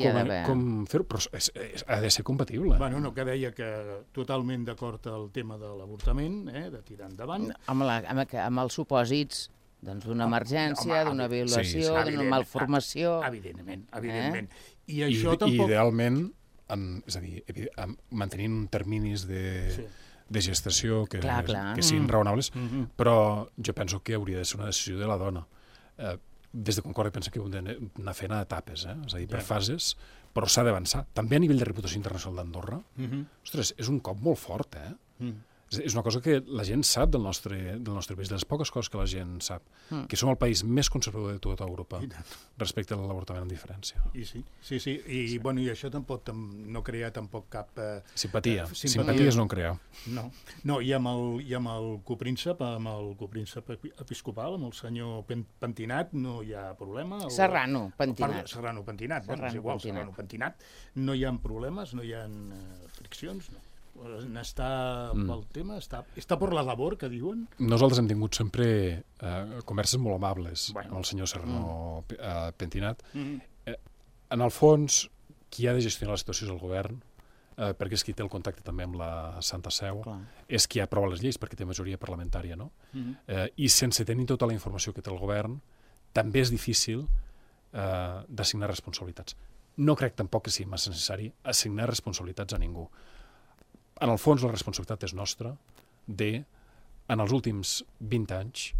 com fer-ho, però ha de ser compatible. Bueno, no, que deia que totalment d'acord al tema de l'avortament, de tirar endavant. Amb els supòsits d'una emergència, d'una violació, d'una malformació... Evidentment. I això tampoc... Idealment, és a dir, mantenint terminis de gestació que siguin raonables, però jo penso que hauria de ser una decisió de la dona. Des de Concòrdia penso que ho hem d'anar fent a etapes, és a dir, per fases, però s'ha d'avançar. També a nivell de reputació internacional d'Andorra, ostres, és un cop molt fort, És una cosa que la gent sap del nostre país, de les poques coses que la gent sap, que som el país més conservador de tota Europa respecte a l'avortament amb diferència. I sí. I això tampoc no crea tampoc cap... Simpatia. Simpaties no en crea. No, i amb el copríncep episcopal, amb el senyor Pentinat, no hi ha problema. Serrano Pentinat. Serrano Pentinat, no hi ha problemes, no hi ha friccions, no? n'està pel tema? Està per la labor, que diuen? Nosaltres hem tingut sempre converses molt amables amb el senyor Serrano Pentinat. En el fons, qui ha de gestionar la situació és el govern, perquè és qui té el contacte també amb la Santa Seu, és qui aprova les lleis perquè té majoria parlamentària, no? I sense tenir tota la informació que té el govern, també és difícil d'assignar responsabilitats. No crec tampoc que sigui massa necessari assignar responsabilitats a ningú. En el fons, la responsabilitat és nostra en els últims 20 anys,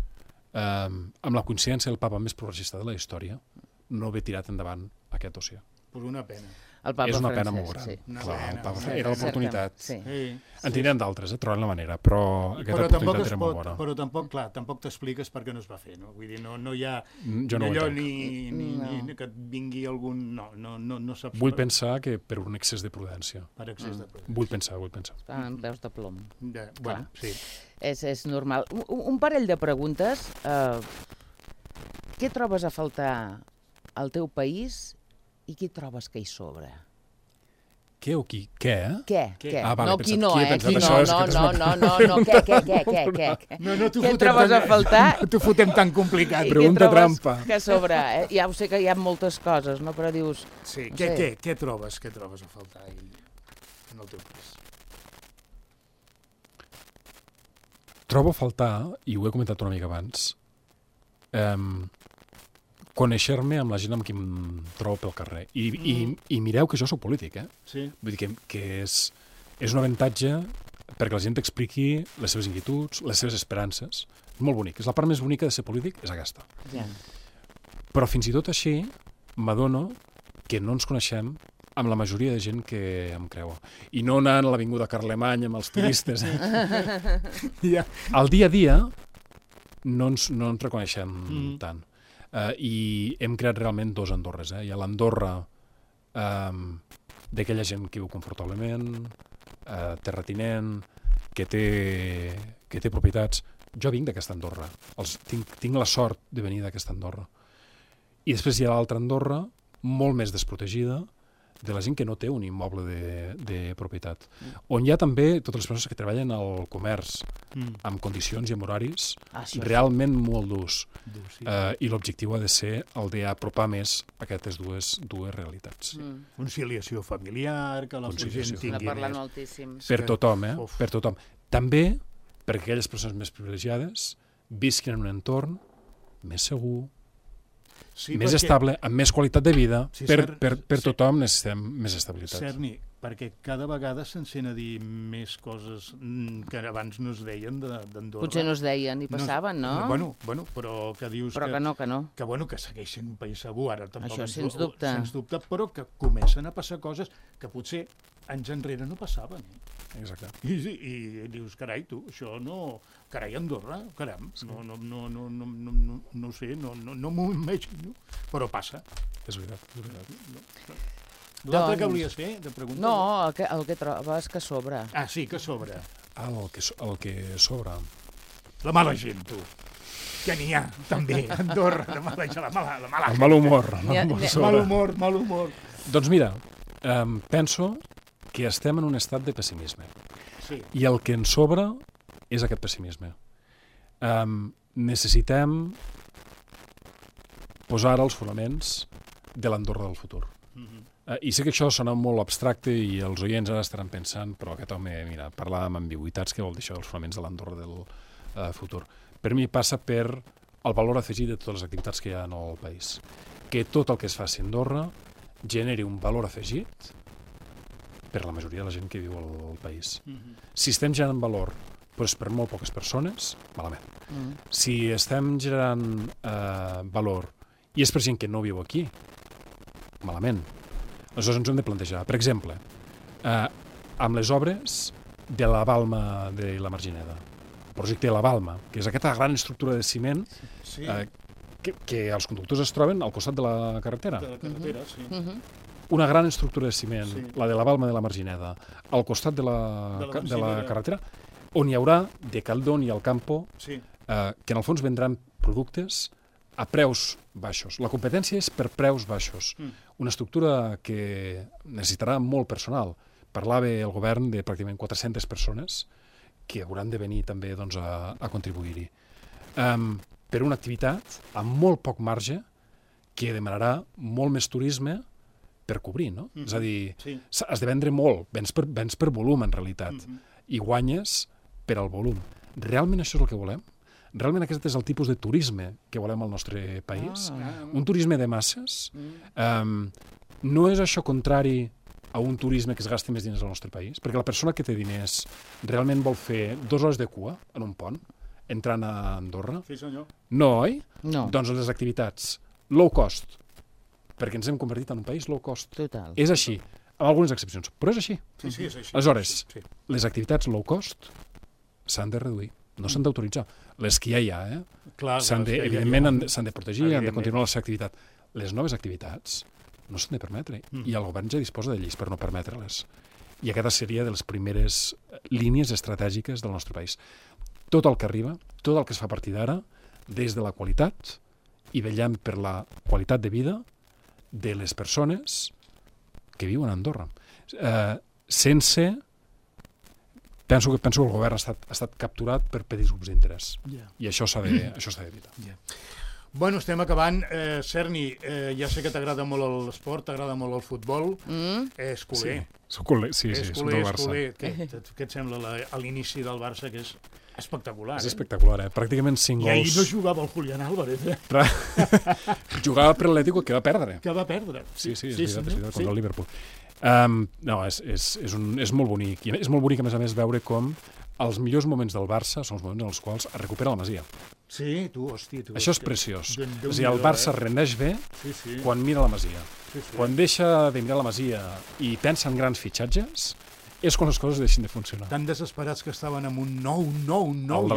amb la coincidència del papa més progressista de la història, no haver tirat endavant aquest dossier. Pues una pena. És una pena molt gran. Era l'oportunitat. En tindrem d'altres, trobarem la manera, però aquesta oportunitat era molt bona. Però tampoc t'expliques per què no es va fer, no? Vull dir, no hi ha allò ni que et vingui algun... No saps... Vull pensar que per un excés de prudència. Per excés de prudència. Vull pensar. En veus de plom. Bueno, sí. És normal. Un parell de preguntes. Què trobes a faltar al teu país i qui trobes que hi sobra? Què o qui? Què? Què? No, qui no, Qui no, què? Què trobes a faltar? No t'ho fotem tan complicat. Pregunta trampa. Que sobra? Ja ho sé que hi ha moltes coses, no? Però dius... Sí, què trobes a faltar en el teu país? Trobo a faltar, i ho he comentat una mica abans, conèixer-me amb la gent amb qui em trobo pel carrer. I mireu que jo soc polític, Sí. Vull dir que és un avantatge perquè la gent t'expliqui les seves inquietuds, les seves esperances. Molt bonic. És la part més bonica de ser polític, és aquesta. Ja. Però fins i tot així m'adono que no ens coneixem amb la majoria de gent que em creua. I no anant a l'Avinguda Carlemany amb els turistes. Al dia a dia no ens reconeixem tant. I hem creat realment dos Andorres. Hi ha l'Andorra d'aquella gent que viu confortablement, terratinent, que té propietats. Jo vinc d'aquesta Andorra. Tinc la sort de venir d'aquesta Andorra. I després hi ha l'altra Andorra, molt més desprotegida, de la gent que no té un immoble de propietat. On hi ha també totes les persones que treballen al comerç, amb condicions i amb horaris realment molt durs. I l'objectiu ha de ser el d'apropar més aquestes dues realitats. Conciliació familiar, que la gent tingui parlant moltíssim. Per tothom, per tothom. També perquè aquelles persones més privilegiades visquin en un entorn més segur, més estable, amb més qualitat de vida. Per tothom necessitem més estabilitat. Cerny, perquè cada vegada se'n sent a dir més coses que abans no es deien d'Andorra. Potser no es deien i passaven, no? Bueno, però que dius que no. Que segueix sent un país segur, ara tampoc. Això sens dubte. Però que comencen a passar coses que potser anys enrere no passaven. Exacte. I dius, carai, tu, això no... Carai, Andorra, caram, no sé, no m'ho imagino, però passa. És veritat. L'altre que volies fer, de pregunta? No, el que trobes que sobra. Ah, sí, que sobra. El que sobra. La mala gent, tu. Que n'hi ha, també, a Andorra, la mala gent. El mal humor. Mal humor. Doncs mira, penso que estem en un estat de pessimisme. Sí. I el que ens sobra és aquest pessimisme. Necessitem posar ara els fonaments de l'Andorra del futur. I sé que això sona molt abstracte i els oients ara estaran pensant, però aquest home, mira, parla amb ambigüitats, què vol dir això dels fonaments de l'Andorra del futur? Per mi passa per el valor afegit de totes les activitats que hi ha en el país. Que tot el que es faci a Andorra generi un valor afegit per la majoria de la gent que viu al país. Si estem generant valor però és per molt poques persones, malament. Si estem generant valor i és per gent que no viu aquí, malament. Aleshores ens hem de plantejar. Per exemple, amb les obres de la Balma de la Margineda, el projecte de la Balma, que és aquesta gran estructura de ciment que els conductors es troben al costat de la carretera. De la carretera, sí. Una gran estructura de ciment, la de la Balma de la Margineda, al costat de la carretera, on hi haurà de Caldón i Alcampo, que en el fons vendran productes a preus baixos. La competència és per preus baixos. Una estructura que necessitarà molt personal, parlava el govern de pràcticament 400 persones que hauran de venir també doncs, a contribuir-hi. Per una activitat amb molt poc marge que demanarà molt més turisme per cobrir, no? És a dir, has de vendre molt, vens per volum, en realitat, i guanyes per al volum. Realment això és el que volem? Realment aquest és el tipus de turisme que volem al nostre país? Un turisme de masses? No és això contrari a un turisme que es gasti més diners al nostre país? Perquè la persona que té diners realment vol fer 2 hores de cua en un pont, entrant a Andorra? Sí, senyor. No, oi? No. Doncs les activitats low cost, perquè ens hem convertit en un país low cost. Total. És així, amb algunes excepcions, però és així. Sí, és així. Aleshores, les activitats low cost s'han de reduir, no s'han d'autoritzar. Les que ja hi ha, evidentment s'han de protegir, han de continuar la seva activitat. Les noves activitats no s'han de permetre, i el govern ja disposa de lleis per no permetre-les. I aquesta seria de les primeres línies estratègiques del nostre país. Tot el que arriba, tot el que es fa a partir d'ara, des de la qualitat, i vetllant per la qualitat de vida de les persones que viuen a Andorra. Penso que el govern ha estat capturat per petits grups d'interès. I això s'ha d'evitar. Bueno, estem acabant. Serni, ja sé que t'agrada molt l'esport, t'agrada molt el futbol. És culer. Soc culer, sí, soc del Barça. Què et sembla l'inici del Barça, que és espectacular? És espectacular, Pràcticament 5 gols. I ahir no jugava el Julián Álvarez, Jugava per l'Atlético, que va perdre. Que va perdre. Sí, és veritat, contra el Liverpool. No, és molt bonic. I és molt bonic, a més, veure com els millors moments del Barça són els moments en els quals es recupera la Masia. Sí, hòstia. Això és preciós. És a dir, el Barça rendeix bé quan mira la Masia. Quan deixa de mirar la Masia i pensa en grans fitxatges, és quan les coses deixen de funcionar. Tan desesperats que estaven amb un nou, i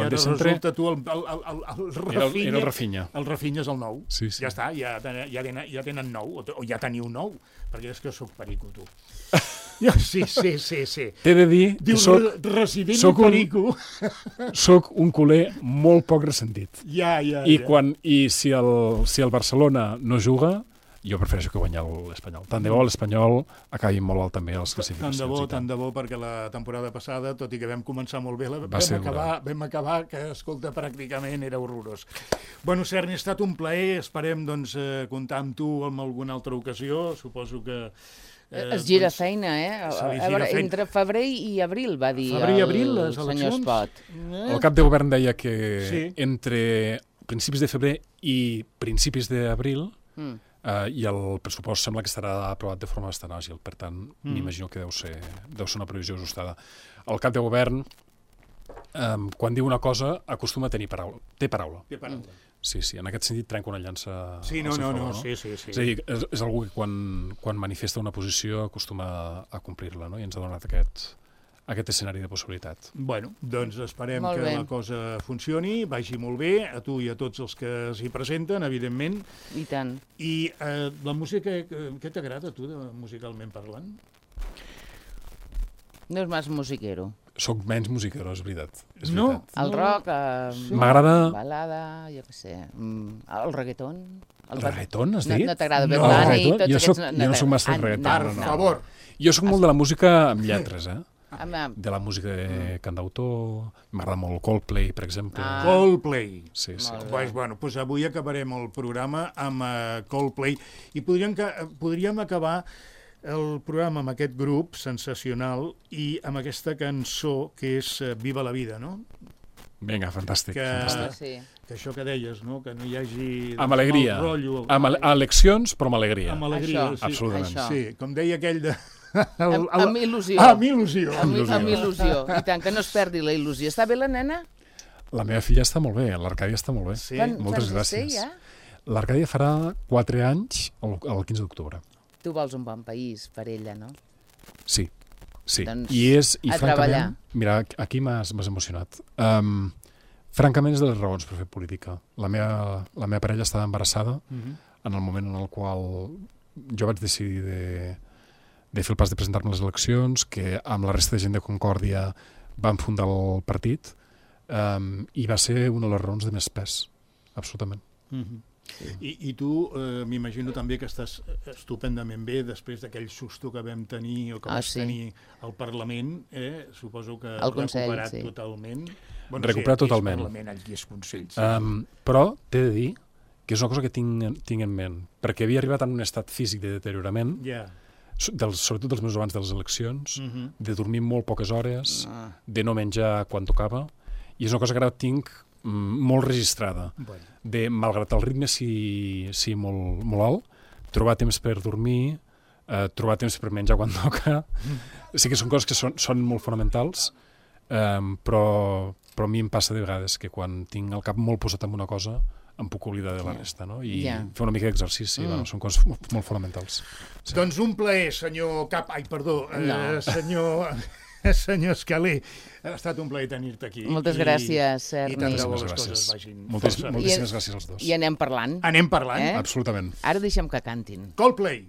ara resulta tu el Rafinha. Era el Rafinha. El Rafinha és el nou. Sí. Ja està, ja tenen nou, o ja teniu nou, perquè és que sóc perico, tu. Sí. T'he de dir que soc un culer molt poc ressentit. I si el Barcelona no juga, jo prefereixo que guanyar l'Espanyol. Tant de bo l'Espanyol acabi molt alt també a les classificacions. Tant de bo, perquè la temporada passada, tot i que vam començar molt bé, vam acabar que, escolta, pràcticament era horrorós. Bueno, Serni, ha estat un plaer. Esperem comptar amb tu en alguna altra ocasió. Suposo que es gira feina, entre febrer i abril, va dir el senyor Espot. El cap de govern deia que entre principis de febrer i principis d'abril i el pressupost sembla que estarà aprovat de forma bastant àgil, per tant, m'imagino que deu ser una previsió ajustada. El cap de govern, quan diu una cosa, acostuma a tenir paraula. Té paraula. Sí, en aquest sentit trenca una llança... Sí. És a dir, és algú que quan manifesta una posició acostuma a complir-la, no? I ens ha donat aquest escenari de possibilitat. Bueno, doncs esperem que la cosa funcioni, vagi molt bé, a tu i a tots els que s'hi presenten, evidentment. I tant. I la música, què t'agrada a tu, musicalment parlant? No és més musiquero. Soc menys musiquero, és veritat. No? El rock, m'agrada... balada, jo què sé, el reggaeton... El reggaeton, has dit? No t'agrada Bad Bunny, tots aquests... Jo no soc massa de reggaeton. Per favor. Jo soc molt de la música amb lletres, de la música de cantautor, m'agrada molt Coldplay, per exemple. Coldplay. Sí. Bueno, doncs avui acabarem el programa amb Coldplay i podríem acabar el programa amb aquest grup sensacional i amb aquesta cançó que és Viva la vida, no? Vinga, fantàstic. Que això que deies, no? Que no hi hagi... Amb alegria. Amb eleccions, però amb alegria. Amb alegria, absolutament. Sí, com deia aquell de... Amb il·lusió. Amb il·lusió. Amb il·lusió. I tant, que no es perdi la il·lusió. Està bé la nena? La meva filla està molt bé, l'Arcàdia està molt bé. Sí. Moltes gràcies. L'Arcàdia farà 4 anys el 15 d'octubre. Tu vols un bon país per ella, no? Sí. Doncs I francament, mira, aquí m'has emocionat. Francament és de les raons per fer política. La meva parella estava embarassada en el moment en el qual jo vaig decidir de fer el pas de presentar-me a les eleccions, que amb la resta de gent de Concòrdia vam fundar el partit, i va ser una de les raons de més pes, absolutament. I tu m'imagino també que estàs estupendament bé després d'aquell susto que vam tenir o que vas tenir al Parlament, suposo que has recuperat totalment. Recuperat totalment. Parlament, aquí és Consell. Però t'he de dir que és una cosa que tinc en ment, perquè havia arribat en un estat físic de deteriorament, sobretot dels mesos abans de les eleccions, de dormir molt poques hores, de no menjar quan tocava, i és una cosa que ara tinc molt registrada, de, malgrat el ritme sí molt alt, trobar temps per dormir, trobar temps per menjar quan toca. Sí que són coses que són molt fonamentals, però a mi em passa de vegades que quan tinc el cap molt posat en una cosa em puc oblidar de la resta, no? I fer una mica d'exercici, són coses molt fonamentals. Doncs un plaer, senyor senyor Escalé. Ha estat un plaer tenir-te aquí. Moltes gràcies, Erni. I tant de bo les coses vagin. Moltíssimes gràcies als dos. I anem parlant. Anem parlant. Absolutament. Ara deixem que cantin. Coldplay.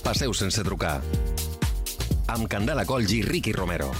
Passeu sense trucar. Amb Candela Colls i Ricky Romero.